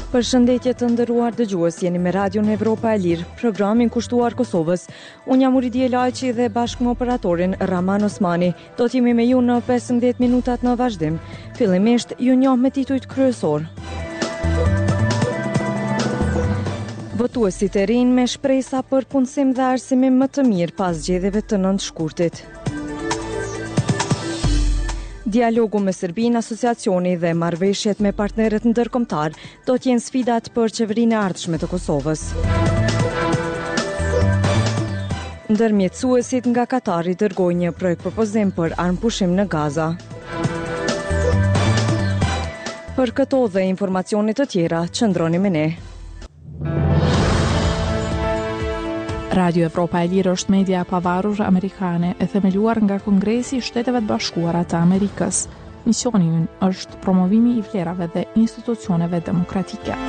Përshëndetje të nderuar dëgjues, jeni me Radion Evropa e Lirë, programin kushtuar Kosovës. Unë jam Uridije Lajçi dhe bashkë me operatorin Rrahman Osmani, do të jemi me ju në 15 minutat në vazhdim. Fillimisht, ju njoh me titujt kryesorë. Votuesit e rinj me shpresa për punësim dhe arsimim më të mirë pas zgjedhjeve të 9 shkurtit. Dialogu me Serbinë, asociacioni dhe marrëveshjet me partnerët ndërkombëtarë do të jenë sfidat për qeverinë e ardhshme të Kosovës. Ndërmjetësuesit nga Katari dërgojnë një projektpropozim për armëpushim në Gaza. Për këto dhe informacione të tjera, qëndroni me ne. Radio Evropa e Lirë është media e pavarur amerikane e themeluar nga Kongresi i Shteteve të Bashkuara të Amerikës. Misioni ynë është promovimi i vlerave dhe institucioneve demokratike.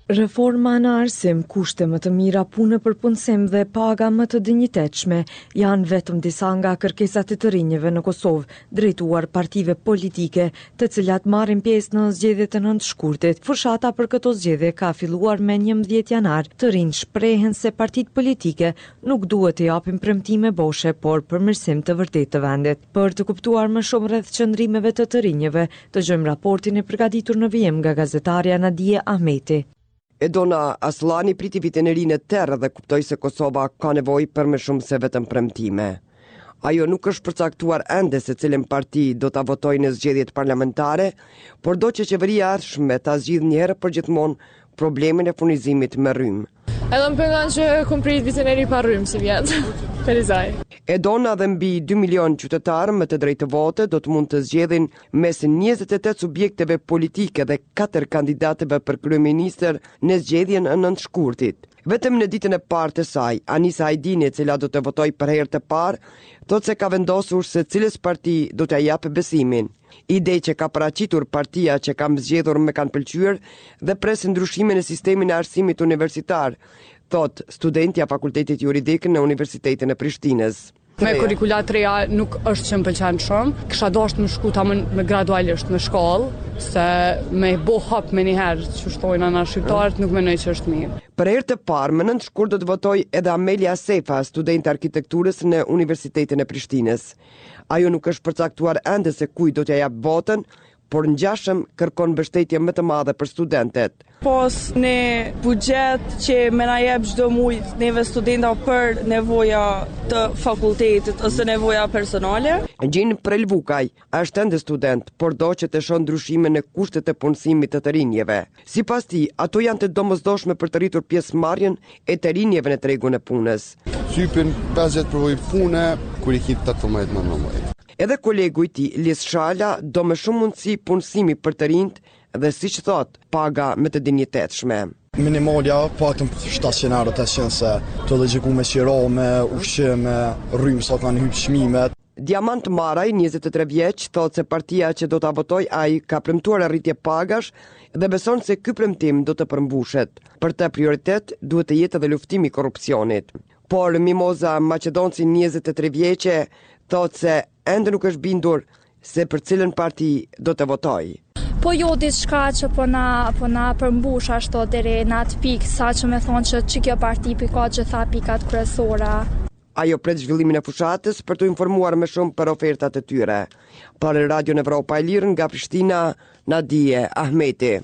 Reforma në arsim, kushte më të mira pune për punësim dhe paga më të dinjitetshme janë vetëm disa nga kërkesat e të rinjve në Kosovë, drejtuar partive politike, të cilat marrin pjesë në zgjedhjet e 9 shkurtit. Fushata për këto zgjedhje ka filluar me 11 janar. Të rinjtë shprehen se partitë politike nuk duhet të japin premtime boshe, por përmirësim të vërtetë të vendit. Për të kuptuar më shumë rreth qëndrimeve të të rinjve, Dëgjojmë raportin e përgatitur në vijim nga gazetarja Nadije Ahmeti. Edona Asllani priti vitin e ri në terr dhe kuptoi se Kosova ka nevojë për më shumë se vetëm premtime. Ajo nuk është përcaktuar ende se cilën parti do ta votojë në zgjedhjet parlamentare, por do që qeveria e ardhshme ta zgjidhë një herë përgjithmonë problemin e furnizimit me rrymë. Edhe më pengon që kom prit vitin e ri pa rrymë sivjet. Ferizaj. Edona dhe mbi 2 milion qytetarë me të drejtë vote do të mund të zgjedhin mes 28 subjekteve politike dhe 4 kandidatëve për kryeministër në zgjedhjen e 9 shkurtit. Vetëm në ditën e parë të saj, Anisa Ajdini, e cila do të votojë për herë të parë, thotë se ka vendosur se cilës parti do t'ia japë besimin. Idetë që ka paraqitur partia që kam zgjedhur më kanë pëlqyer dhe pres ndryshime në sistemin e arsimit universitar, thotë studentja e Fakultetit Juridik në Universitetin e Prishtinës. Me kurrikula të reja nuk është që më pëlqen shumë. Kisha dashur me shku tamam me gradualisht me shkallë, se me bo hop menjëherë, qysh thojna na shqiptarët, nuk mendoj që është mirë. Për herë të parë, më 9 shkurt do të votojë edhe Amelia Sefa, studente e arkitekturës në Universitetin e Prishtinës. Ajo nuk është përcaktuar ende se kujt do t'ia japë votën, por ngjashëm kërkon mbështetje më të madhe për studentet. Pos një buxhet që me na jep çdo muj neve studenta për nevoja të fakultetit ose nevoja personale. Gjin Prelvukaj është ende student, por do që të shohë ndryshime në kushtet e punësimit të të rinjve. Sipas tij, ato janë të domosdoshme për të rritur pjesëmarrjen e të rinjve në tregun e punës. Cypin 50 përvojë pune, kur i ki 18 19. Edhe kolegu i tij, Lis Shala, do më shumë mundësi punësimi për të rinjtë dhe siç thotë, paga më të dinjitetshme. Minimalja paktën 700 euro, 800 se të logjikë me qira, me ushqim, me rrymë sa kanë hypë çmimet. Diamant Maraj, 23 vjeç, thotë se partia që do ta votojë ai ka premtuar rritje pagash dhe beson se ky premtim do të përmbushet. Për të prioritet duhet të jetë edhe luftimi i korrupsionit. Por Mimoza Maqedonci, 23 vjeçe, thotë se ende nuk është bindur se për cilën parti do të votojë. Po jo diçka që po na po na përmbush ashtu deri në atë pikë sa që me thonë që që kjo parti p'i ka gjitha pikat kryesore. Ajo pret zhvillimin e fushatës për t'u informuar më shumë për ofertat e tyre. Për Radion Evropa e Lirë nga Prishtina, Nadije Ahmeti.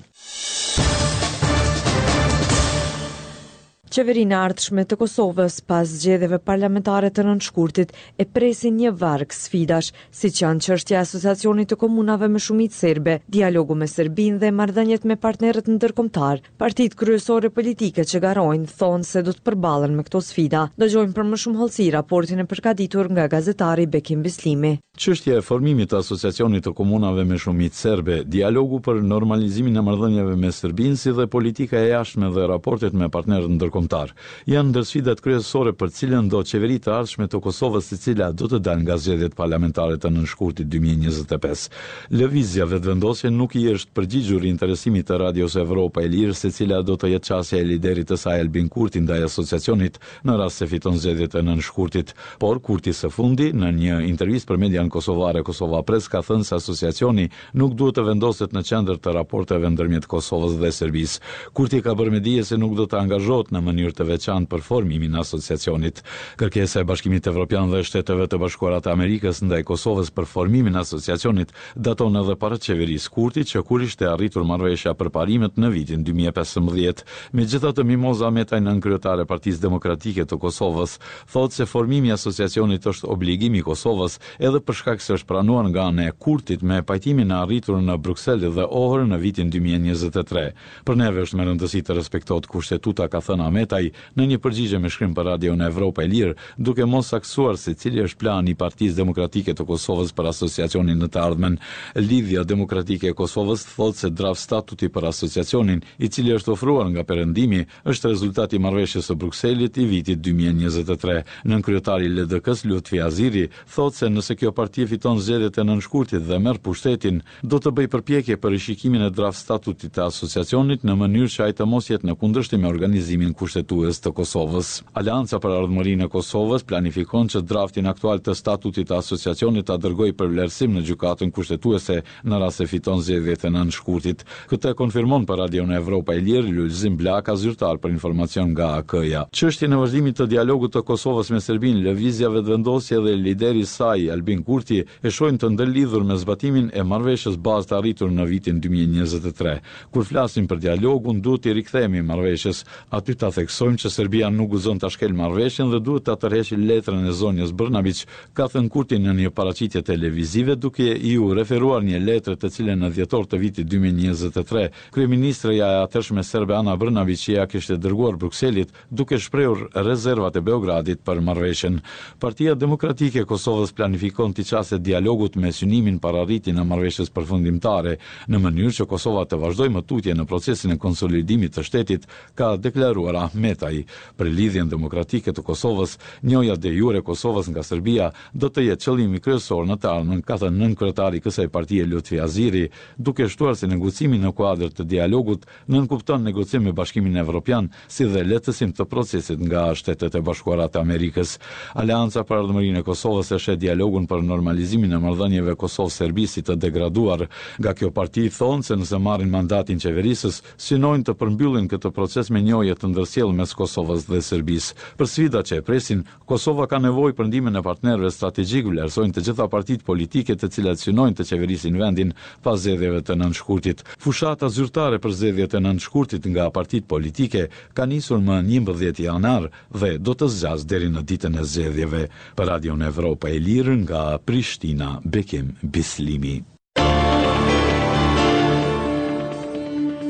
Qeverinë e ardhshme të Kosovës pas zgjedhjeve parlamentare të 9 shkurtit e presin një varg sfidash, siç janë çështja e Asociacionit të Komunave me shumicë serbe, dialogu me Serbinë dhe marrëdhëniet me partnerët ndërkombëtarë. Partitë kryesore politike që garojnë thonë se do të përballen me këto sfida. Dëgjojmë për më shumë hollësi raportin e përgatitur nga gazetari Bekim Bislimi. Çështja e formimit të Asociacionit të Komunave me shumicë serbe, dialogu për normalizimin e marrëdhënieve me Serbinë si dhe politika e jashtme dhe raportet me partnerët ndërkombëtarë. ndërkombëtar. Janë ndër sfidat kryesore për cilëndo qeveri të ardhshme të Kosovës e cila do të dalë nga zgjedhjet parlamentare të nëntë shkurtit 2025. Lëvizja Vetëvendosje nuk i është përgjigjur interesimit të Radios Evropa e Lirë se cila do të jetë qasja e liderit të saj Albin Kurti ndaj Asociacionit në rast se fiton zgjedhjet e nëntë shkurtit. Por, Kurti së fundi, në një intervistë për median kosovare Kosova Press ka thënë se Asociacioni nuk duhet të vendoset në qendër të raporteve ndërmjet Kosovës dhe Serbisë. Kurti ka bërë me dije se nuk do të angazhohet në mënyrë të veçantë për formimin e Asociacionit. Kërkesa e Bashkimit Evropian dhe Shteteve të Bashkuara të Amerikës ndaj Kosovës për formimin e Asociacionit daton edhe para qeverisë Kurti që kur ishte arritur marrëveshja për parimet në vitin 2015. Megjithatë, Mimoza Ahmetaj, nënkryetare e Partisë Demokratike të Kosovës, thotë se formimi i Asociacionit është obligim i Kosovës edhe për shkak se është pranuar nga ana e Kurtit me pajtimin e arritur në Bruksel dhe Ohër në vitin 2023. Për neve është me rëndësi të respektohet Kushtetuta, ka thënë Ahmetaj në një përgjigje me shkrim për Radion Evropa e Lirë, duke mos saktësuar se cili është plani i Partisë Demokratike të Kosovës për Asociacionin në të ardhmen. Lidhja Demokratike e Kosovës thotë se draft statuti për Asociacionin, i cili është ofruar nga Perëndimi, është rezultat i marrëveshjes së Brukselit i vitit 2023. Nënkryetari i LDK-së, Lutfi Haziri, thotë se nëse kjo parti fiton zgjedhjet e nëntë shkurtit dhe merr pushtetin, do të bëjë përpjekje për rishikimin e draft statutit të Asociacionit në mënyrë që ai të mos jetë në kundërshtim me organizimin kushtetues të Kosovës. Aleanca për Ardhmërinë e Kosovës planifikon që draftin aktual të statutit të Asociacionit ta dërgojë për vlerësim në Gjykatën Kushtetuese në rast se fiton zgjedhjet e nëntë shkurtit. Këtë e konfirmon për Radion Evropa e Lirë, Lulzim Blaka, zyrtar për informacion nga AAK-ja. Çështjen e vazhdimit të dialogut të Kosovës me Serbinë, Lëvizja Vetëvendosje dhe lideri i saj, Albin Kurti, e shohin të ndërlidhur me zbatimin e marrëveshjes bazë të arritur në vitin 2023. Kur flasim për dialogun, duhet t'i rikthehemi marrëveshjes. Aty ta theksojmë që Serbia nuk guxon ta shkelë marrëveshjen dhe duhet ta tërheqë letrën e zonjës Brnabiq, ka thënë Kurti në një paraqitje televizive duke iu referuar një letre të cilën në dhjetor të vitit 2023, kryeministreja e atëhershme serbe Ana Brnabiq ia kishte dërguar Brukselit duke shprehur rezervat e Beogradit për marrëveshjen. Partia Demokratike e Kosovës planifikon t'i qaset dialogut me synimin për arritjen e marrëveshjes përfundimtare, në mënyrë që Kosova të vazhdojë më tutje në procesin e konsolidimit të shtetit, ka deklaruar Ahmetaj. Për Lidhjen Demokratike të Kosovës, njohja de jure e Kosovës nga Serbia do të jetë qëllimi kryesor në të ardhmen, ka thënë nënkryetari i kësaj partie Lutfi Haziri, duke shtuar se negocimi në kuadër të dialogut nënkupton negocim me Bashkimin Evropian, si dhe lehtësim të procesit nga Shtetet e Bashkuara të Amerikës. Aleanca për Ardhmërinë e Kosovës e sheh dialogun për normalizimin e marrëdhënieve Kosovë-Serbi si të degraduar. Nga kjo parti thonë se nëse marrin mandatin qeverisës, synojnë të përmbyllin këtë proces me njohje të ndërsjellë mes Kosovës dhe Serbisë. Për sfidat që e presin, Kosova ka nevojë për ndihmën e partnerëve strategjikë, vlerësojnë të gjitha partitë politike të cilat synojnë të qeverisin vendin pas zgjedhjeve të nëntë shkurtit. Fushata zyrtare për zgjedhjet e nëntë shkurtit nga partitë politike ka nisur më 11 janar dhe do të zgjasë deri në ditën e zgjedhjeve. Për Radion Evropa e Lirë nga Prishtina, Bekim Bislimi.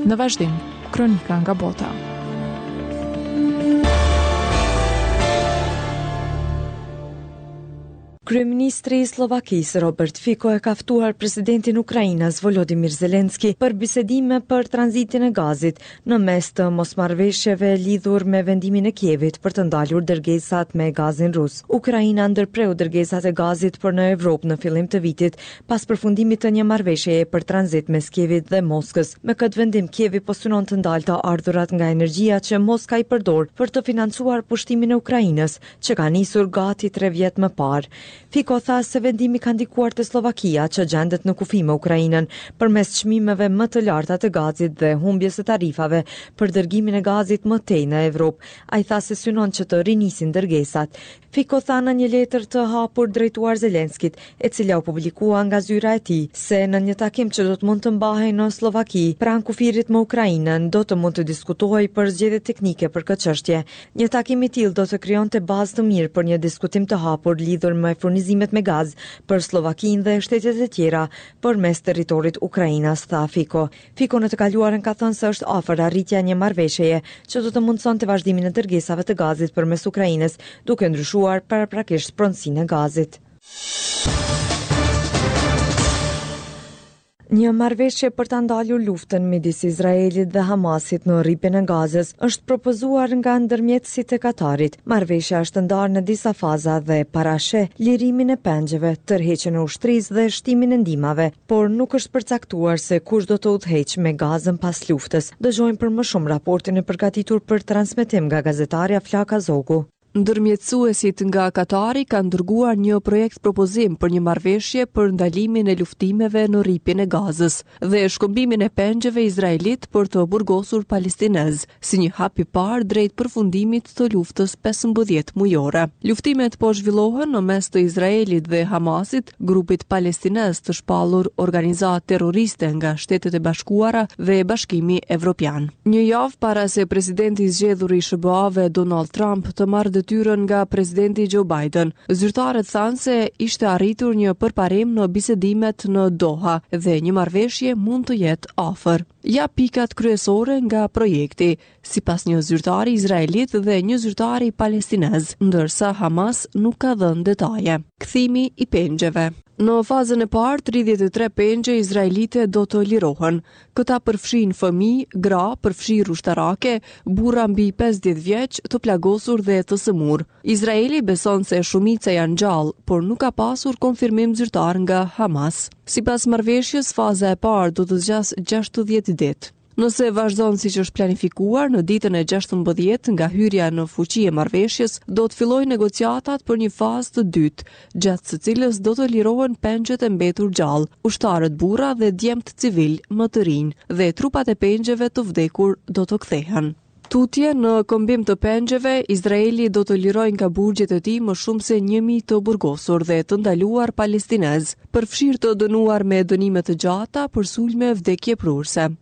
Në vazhdim, kronika nga bota. Kryeministri i Sllovakisë Robert Fico e ka ftuar presidentin ukrainas Volodymyr Zelensky për bisedime për tranzitin e gazit në mes të mosmarrëveshjeve lidhur me vendimin e Kievit për të ndalur dërgesat me gazin rus. Ukraina ndërpreu dërgesat e gazit për në Evropë në fillim të vitit pas përfundimit të një marrëveshjeje për tranzit mes Kievit dhe Moskës. Me këtë vendim, Kievi po synon të ndalë të ardhurat nga energjia që Moska i përdor për të financuar pushtimin e Ukrainës, që ka nisur gati tre vjet më parë. Fico tha se vendimi ka ndikuar te Sllovakia, që gjendet në kufi me Ukrainën, përmes çmimeve më të larta të gazit dhe humbjes së tarifave për dërgimin e gazit më tej në Evropë. Ai tha se synon që të rinisin dërgesat. Fico tha në një letër të hapur drejtuar Zelenskit, e cila u publikua nga zyra e tij, se në një takim që do të mund të mbahej në Sllovaki, pranë kufirit me Ukrainën, do të mund të diskutohej për zgjidhje teknike për këtë çështje. Një takim i tillë do të krijonte bazë të mirë për një diskutim të hapur lidhur me furnizimet me gaz për Sllovakinë dhe shtetet e tjera përmes territorit ukrainas, tha Fico. Fico në të kaluarën ka thënë se është afër arritja e një marrëveshjeje që do të mundësonte vazhdimin e dërgesave të gazit përmes Ukrainës, duke ndryshuar paraprakisht pronësinë e gazit. Një marrëveshje për ta ndalur luftën midis Izraelit dhe Hamasit në Rripin e Gazës është propozuar nga ndërmjetësit e Katarit. Marrëveshja është ndarë në disa faza dhe parasheh lirimin e pengjeve, tërheqjen e ushtrisë dhe shtimin e ndihmave, por nuk është përcaktuar se kush do të udhëheqë me Gazën pas luftës. Dëgjojmë për më shumë raportin e përgatitur për transmetim nga gazetarja Flaka Zogu. Ndërmjetësuesit nga Katari kanë dërguar një projekt-propozim për një marrëveshje për ndalimin e luftimeve në Rripin e Gazës dhe shkëmbimin e pengjeve izraelitë për të burgosur palestinezë, si një hap i parë drejt përfundimit të luftës 15 mujore. Luftimet po zhvillohen në mes të Izraelit dhe Hamasit, grupit palestinez të shpallur organizatë terroriste nga Shtetet e Bashkuara dhe Bashkimi Evropian. Një javë para se presidenti i zgjedhur i SHBA-ve Donald Trump të marrë detyrën nga presidenti Joe Biden, zyrtarët thanë se ishte arritur një përparim në bisedimet në Doha dhe një marrëveshje mund të jetë afër. Ja pikat kryesore nga projekti, sipas një zyrtari izraelit dhe një zyrtari palestinez, ndërsa Hamas nuk ka dhënë detaje. Kthimi i pengjeve. Në fazën e parë, 33 pengje izraelite do të lirohen. Këta përfshijnë fëmijë, gra, përfshirë ushtarake, burra mbi 50 vjeç, të plagosur dhe të sëmurë. Izraeli beson se shumica janë gjallë, por nuk ka pasur konfirmim zyrtar nga Hamas. Sipas marrëveshjes, faza e parë do të zgjasë 60 ditë. Nëse vazhdon siç është planifikuar, në ditën e 16 nga hyrja në fuqi e marrëveshjes, do të fillojnë negociatat për një fazë të dytë, gjatë së cilës do të lirohen pengjet e mbetur gjallë, ushtarët burra dhe djemtë civilë më të rinj, dhe trupat e pengjeve të vdekur do të kthehen. Tutje, në këmbim të pengjeve, Izraeli do të lirojë nga burgjet e tij më shumë se 1000 të burgosur dhe të ndaluar palestinezë, përfshirë të dënuar me dënime të gjata për sulme vdekjeprurëse.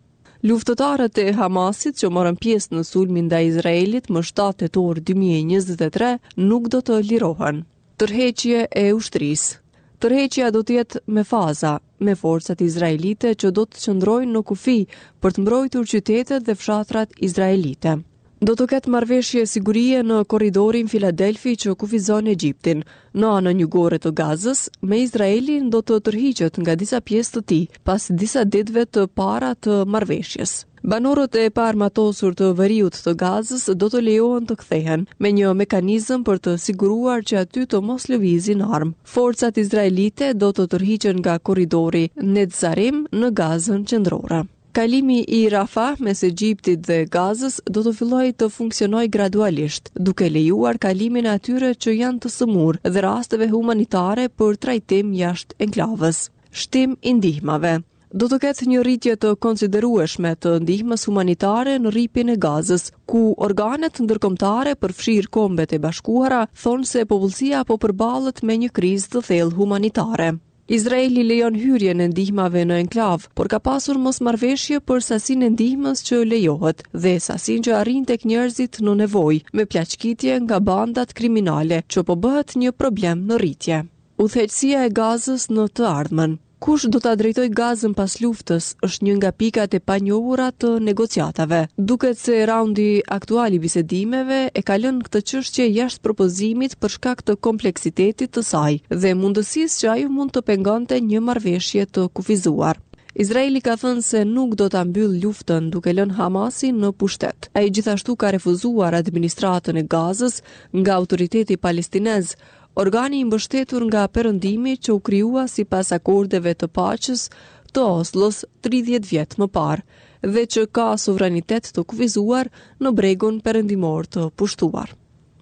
Luftëtarët e Hamasit që morën pjesë në sulmin ndaj Izraelit më 7 tetor 2023 nuk do të lirohen. Tërheqje e ushtrisë. Tërheqja do të jetë me faza, me forcat izraelite që do të qëndrojnë në kufi për të mbrojtur qytetet dhe fshatrat izraelite. Do të ketë marrëveshje sigurie në korridorin Filadelfi që kufizon Egjiptin, në anën jugore të Gazës, me Izraelin do të tërhiqet nga disa pjesë të tij, pas disa ditëve të para të marrëveshjes. Banorët e paarmatosur të veriut të Gazës do të lejohen të kthehen, me një mekanizëm për të siguruar që aty të mos lëvizin armë. Forcat izraelite do të tërhiqen nga korridori Netzarim në Gazën qendrore. Kalimi i Rafah mes Egjiptit dhe Gazës do të fillojë të funksionojë gradualisht, duke lejuar kalimin e atyre që janë të sëmurë dhe rasteve humanitare për trajtim jashtë enklavës. Shtim i ndihmave. Do të ketë një rritje të konsiderueshme të ndihmës humanitare në Rripin e Gazës, ku organet ndërkombëtare, përfshirë Kombet e Bashkuara, thonë se popullsia po përballet me një krizë të thellë humanitare. Izraeli lejon hyrjen e ndihmave në enklavë, por ka pasur mosmarrëveshje për sasinë e ndihmës që lejohet dhe sasinë që arrin tek njerëzit në nevojë, me plaçkitje nga bandat kriminale, që po bëhet një problem në rritje. Udhëheqësia e Gazës në të ardhmen. Kush do ta drejtojë Gazën pas luftës është një nga pikat e panjohura të negociatave. Duket se raundi aktual i bisedimeve e ka lënë këtë çështje jashtë propozimit për shkak të kompleksitetit të saj dhe mundësisë që ajo mund të pengonte një marrëveshje të kufizuar. Izraeli ka thënë se nuk do ta mbyllë luftën duke lënë Hamasin në pushtet. Ai gjithashtu ka refuzuar administratën e Gazës nga autoriteti palestinez, Organi i mbështetur nga Perëndimi që u krijua sipas akordeve të paqes të Oslos 30 vjet më parë dhe që ka sovranitet të kufizuar në bregun perëndimor të pushtuar.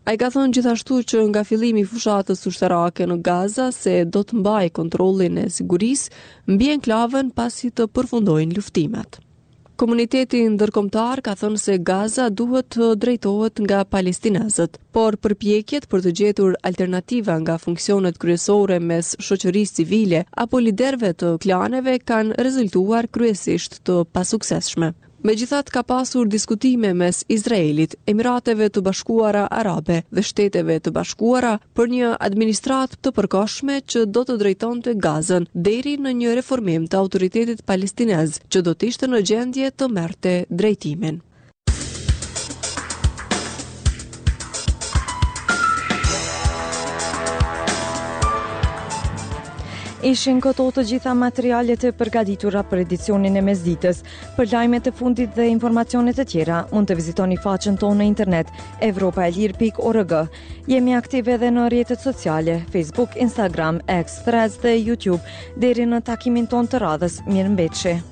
Ai ka thënë gjithashtu që nga fillimi i fushatës ushtarake në Gaza se do të mbajë kontrollin e sigurisë mbi enklavën pasi të përfundojnë luftimet. Komuniteti ndërkombëtar ka thënë se Gaza duhet të drejtohet nga palestinezët, por përpjekjet për të gjetur alternativa nga funksionet kryesore mes shoqërisë civile apo liderëve të klaneve kanë rezultuar kryesisht të pasuksesshme. Megjithatë ka pasur diskutime mes Izraelit, Emirateve të Bashkuara Arabe dhe Shteteve të Bashkuara për një administratë të përkohshme që do të drejtonte Gazën deri në një reformim të autoritetit palestinez që do të ishte në gjendje të merrte drejtimin. Ishin këto të gjitha materialet e përgatitura për edicionin e mesditës. Për lajmet e fundit dhe informacionet e tjera, mund të vizitoni faqen tonë në internet evropaelire.org. Jemi aktive edhe në rrjetet sociale, Facebook, Instagram, X, Threads dhe YouTube. Deri në takimin tonë të radhës, mirëmbetshi.